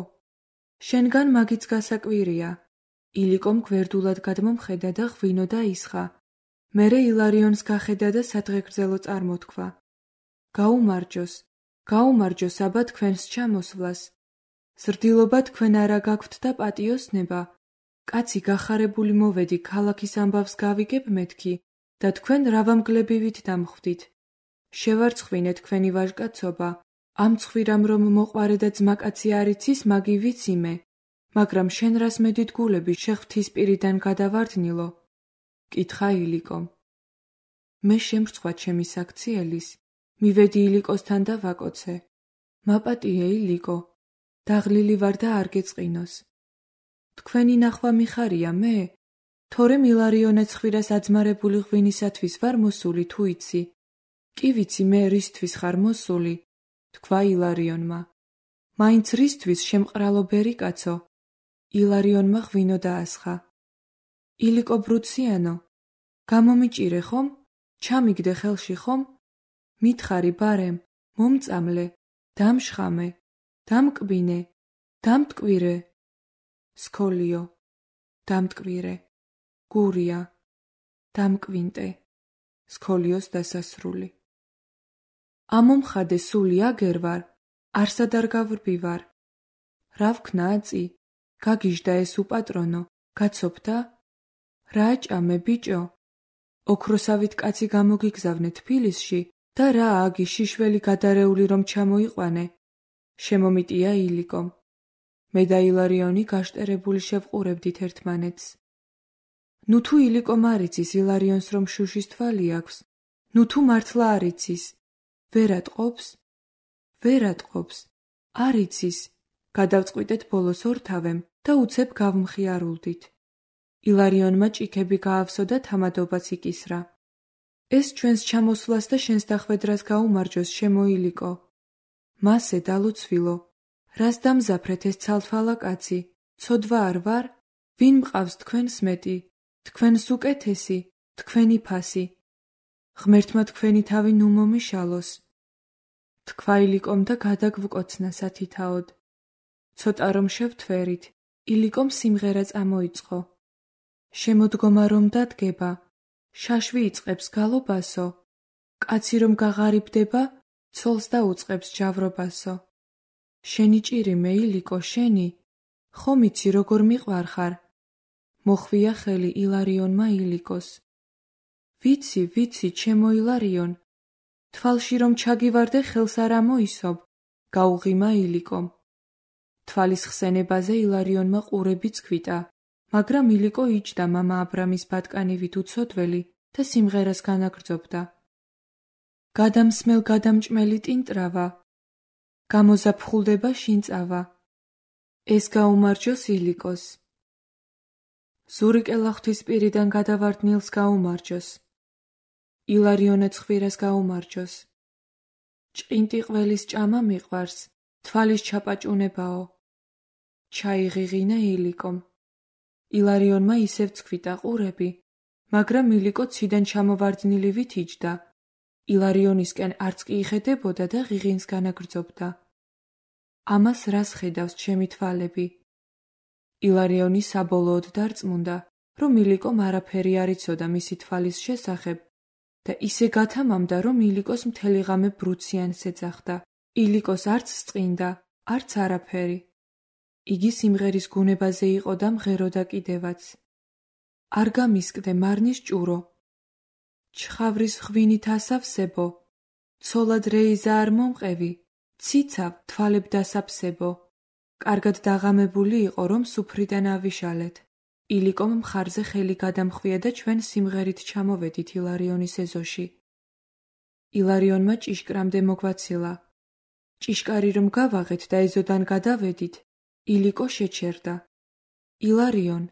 შენგან მაგიც გასაკვირია. ილიკომ გვერდულად გადმომხედა და ღვინო დაისხა. მერე ილარიონს გახედა და სადღეგრძელო წარმოთქვა. გაუმარჯოს, გაუმარჯოს აბა თქვენს ჩამოსვლას. ზრდილობა თქვენ არა გაქვთ და პატიოსნება. კაცი გახარებული მოვედი ქალაქის ამბავს გავიგებ მეთქი და თქვენ რავამგლებივით დამხვდით. შევარცხვინე თქვენი ვაჟკაცობა. ამ ცხვირამ რომ მოყვარე და ძმაკაცი არ იცის მაგი ვიცი მე, მაგრამ შენ რას მედიდგულები შეხვთის პირიდან გადავარდნილო? კითხა ილიკომ. მე შემრცხვა ჩემი საქციელის, მივედი ილიკოსთან და ვაკოცე. მაპატიე ილიკო, დაღლილი ვარ და არ გეწყინოს. თქვენი ნახვა მიხარია მე? თორემ ილარიონე ცხვირას აძმარებული ღვინისათვის ვარ მოსული თუ იცი? კი ვიცი მე რისთვის ხარ მოსული, თქვა ილარიონმა. მაინც რისთვის შემყრალობერი კაცო? ილარიონმა ღვინო დაასხა. ილიკო ბრუციანო, გამომიჭირე ხომ? ჩამიგდე ხელში ხომ? მითხარი ბარემ, მომწამლე, დამშხამე, დამკბინე, დამტკვირე. სქოლიო, დამტკვირე, გურია, დამკვინტე. სქოლიოს დასასრული. ამომხადე სული აგერ ვარ, არსად არ გავრბივარ. რა ვქნა აწი? გაგიჟდა ეს უპატრონო, გაცოფდა? რა აჭამე ბიჭო? ოქროსავით კაცი გამოგიგზავნე თბილისში და რა აგი შიშველი გადარეული რომ ჩამოიყვანე? შემომიტია ილიკომ. მე და ილარიონი გაშტერებული შევყურებდით ერთმანეთს. ნუ თუ ილიკომ არ იცის ილარიონს რომ შუშის თვალი აქვს, ნუ თუ მართლა არ იცის, ვერ ატყობს? ვერ ატყობს. არ იცის. გადავწყვიტეთ ბოლოს ორთავემ და უცებ გავმხიარულდით. ილარიონმა ჭიქები გაავსო და თამადობას იკისრა. ეს ჩვენს ჩამოსვლას და შენს დახვედრას გაუმარჯოს შემოილიკო. მასე დალოცვილო, რას დამზაფრეთ ეს ცალთვალა კაცი? ცოდვა არ ვარ? ვინ მყავს თქვენს მეტი? თქვენს უკეთესი, თქვენი ფასი. ღმერთმა თქვენი თავი ნუ მომიშალოს. თქვა ილიკომ და გადაგვკოცნა სათითაოდ. ცოტა რომ შევთვერით, ილიკომ სიმღერა წამოიწყო. შემოდგომა რომ დადგება, შაშვი იწყებს გალობასო. კაცი რომ გაღარიბდება, ცოლს დაუწყებს ჯავრობასო. შენი ჭირი მე ილიკო შენი, ხომ იცი როგორ მიყვარხარ? მოხვია ხელი ილარიონმა ილიკოს. ვიცი, ვიცი, ჩემო ილარიონ, თვალში რომ ჩაგივარდე ხელს არ ამოისობ, გაუღიმა ილიკომ. თვალის ხსენებაზე ილარიონმა ყურებიც გვიტა, მაგრამ ილიკო იჯდა მამა აბრამის ბატკანივით უცოდველი და სიმღერას განაგრძობდა. გადამსმელ გადამჭმელი ტინტრავა, გამოზაფხულდება შინწავა. ეს გაუმარჯოს ილიკოს. ზურიკელა ღვთისპირიდან გადავარდნილს გაუმარჯოს. ილარიონე ცხვირას გაუმარჯოს. ჭყინტი ყველის ჭამა მიყვარს, თვალის ჩაპაჭუნებაო. ჩაიღიღინა ილიკომ. ილარიონმა ისევ ცქვიტა ყურები, მაგრამ ილიკო ციდან ჩამოვარდნილივით იჯდა. ილარიონისკენ არც კი იხედებოდა და ღიღინს განაგრძობდა. ამას რას ხედავს ჩემი თვალები? ილარიონი საბოლოოდ დარწმუნდა, რომ ილიკომ არაფერი არ იცოდა მისი თვალის შესახებ და ისე გათამამდა, რომ ილიკოს მთელი ღამე ბრუციანს ეძახდა. ილიკოს არც სწყინდა, არც არაფერი. იგი სიმღერის გუნებაზე იყო და მღეროდა კიდევაც. არ გამისკდე მარნის ჭურო. ჩხავრის ღვინით ასავსებო, ცოლად რეიზა არ მომყევი, ციცავ თვალებ დასაფსებო. კარგად დაღამებული იყო, რომ სუფრიდან ავიშალეთ. ილიკომ მხარზე ხელი გადამხვია და ჩვენ სიმღერით ჩამოვედით ილარიონის ეზოში. ილარიონმა ჭიშკრამდე მოგვაცილა. ჭიშკარი რომ გავაღეთ და ეზოდან გადავედით, ილიკო შეჩერდა. ილარიონ,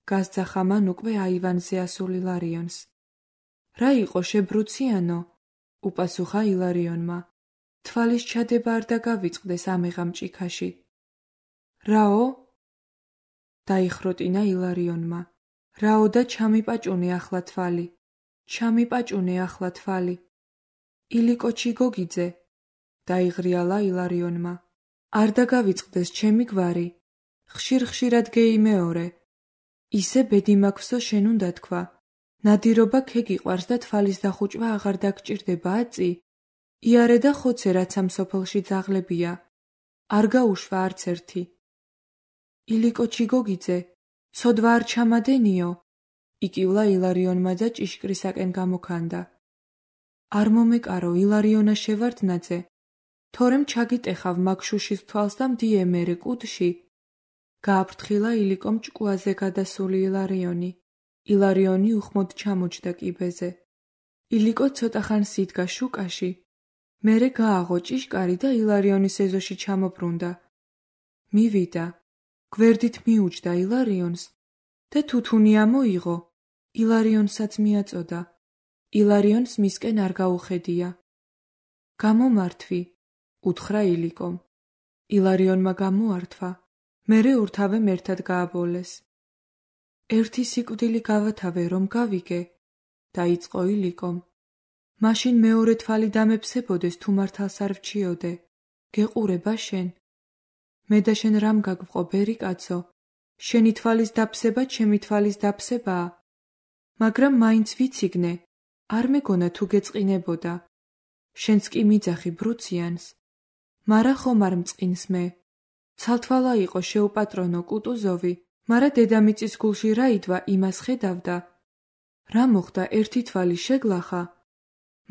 გასძახა მან უკვე აივანზე ასულ ილარიონს. რა იყო შებრუციანო? უპასუხა ილარიონმა. თვალის ჩადება არ დაგავიწყდეს ამეღამ ჭიქაში. რაო? დაიხროტინა ილარიონმა. რაო და ჩამიპაჭუნე ახლა თვალი. ჩამიპაჭუნე ახლა თვალი. ილიკო ჩიგოგიძე, დაიღრიალა ილარიონმა. არ დაგავიწყდეს ჩემი გვარი. ხშირ-ხშირად გეიმეორე. ისე ბედი მაქვსო შენ უნდა თქვა. ნადირობა ქეგიყვარს და თვალის დახუჭვა აღარ დაგჭირდება აწი. იარე და ხოცე რაც ამ სოფელში ძაღლებია. არ გაუშვა არც ერთი. ილიკო ჩიგოგიძე, ცოდვა არ ჩამადენიო? იკივლა ილარიონმა და ჭიშკრისაკენ გამოქანდა. არ მომეკარო ილარიონა შევარდნაძე. თორემ ჩაგიტეხავ მაგშუშის თვალს და მდიე მერე კუდში. გააფრთხილა ილიკომ ჭკუაზე გადასული ილარიონი. ილარიონი უხმოდ ჩამოჯდა კიბეზე. ილიკო ცოტახანს იდგა შუკაში. მერე გააღო ჭიშკარი და ილარიონის ეზოში ჩამობრუნდა. მივიდა. გვერდით მიუჯდა ილარიონს და თუთუნი ამოიღო. ილარიონსაც მიაწოდა. ილარიონს მისკენ არ გაუხედია. გამომართვი, უთხრა ილიკომ. ილარიონმა გამოართვა. მერე ორთავემ ერთად გააბოლეს. ერთი სიკვდილი გავათავე რომ გავიგე, დაიწყო ილიკომ. მაშინ მეორე თვალი დამეფსებოდეს თუ მართალს არ ვჩიოდე. გეყურება შენ? მე და შენ რამ გაგვყო ბერი კაცო? შენი თვალის დაფსება ჩემი თვალის დაფსებაა. მაგრამ მაინც ვიციგნე, არ მეგონა თუ გეწყინებოდა. შენც კი მიძახი ბრუციანს. მარა ხომ არ მწყინს მე. ცალთვალა იყო შეუპატრონო კუტუზოვი, მარა დედამიწის გულში რა იდვა იმას ხედავდა. რა მოხდა ერთი თვალი შეგლახა?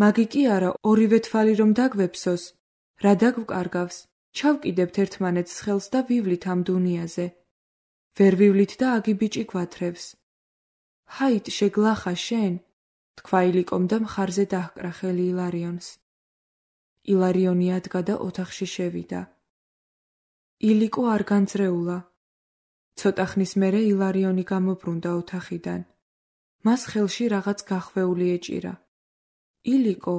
მაგი კი არა ორივე თვალი რომ დაგვეფსოს. რა დაგვკარგავს? ჩავკიდებთ ერთმანეთს ხელს და ვივლით ამ დუნიაზე. ვერ ვივლით და აგი ბიჭი გვათრევს. ჰაით შეგლახა შენ, თქვა ილიკომ და მხარზე დაჰკრა ხელი ილარიონს. ილარიონი ადგა და ოთახში შევიდა. ილიკო არ განძრეულა. ცოტა ხნის მერე ილარიონი გამობრუნდა ოთახიდან. მას ხელში რაღაც გახვეული ეჭირა. ილიკო,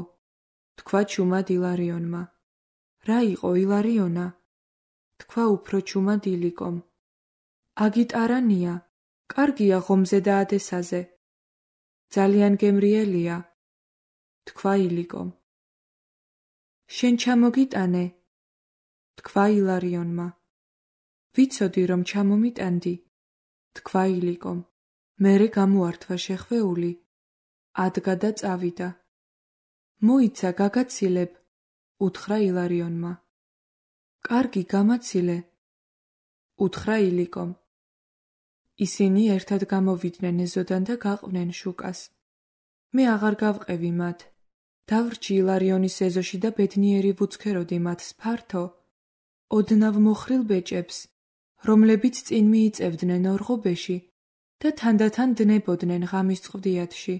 თქვა ჩუმად ილარიონმა. რა იყო ილარიონა? თქვა უფრო ჩუმად ილიკომ. აგიტარანია, კარგია ღომზე და ადესაზე. ძალიან გემრიელია, თქვა ილიკომ. შენ ჩამოგიტანე, თქვა ილარიონმა. ვიცოდი რომ ჩამომიტანდი, თქვა ილიკომ. მერე გამოართვა შეხვეული, ადგა და წავიდა. მოიცა გაგაცილებ, უთხრა ილარიონმა. კარგი გამაცილე, უთხრა ილიკომ. ისინი ერთად გამოვიდნენ ეზოდან და გაყვნენ შუკას. მე აღარ გავყევი მათ. დავრჩი ილარიონის ეზოში და ბედნიერი ვუცქეროდი მათ სფართო, ოდნავ მოხრილ ბეჭებს, რომლებიც წინ მიიწევდნენ ორღობეში და თანდათან დნებოდნენ ღამის წყვდიათში.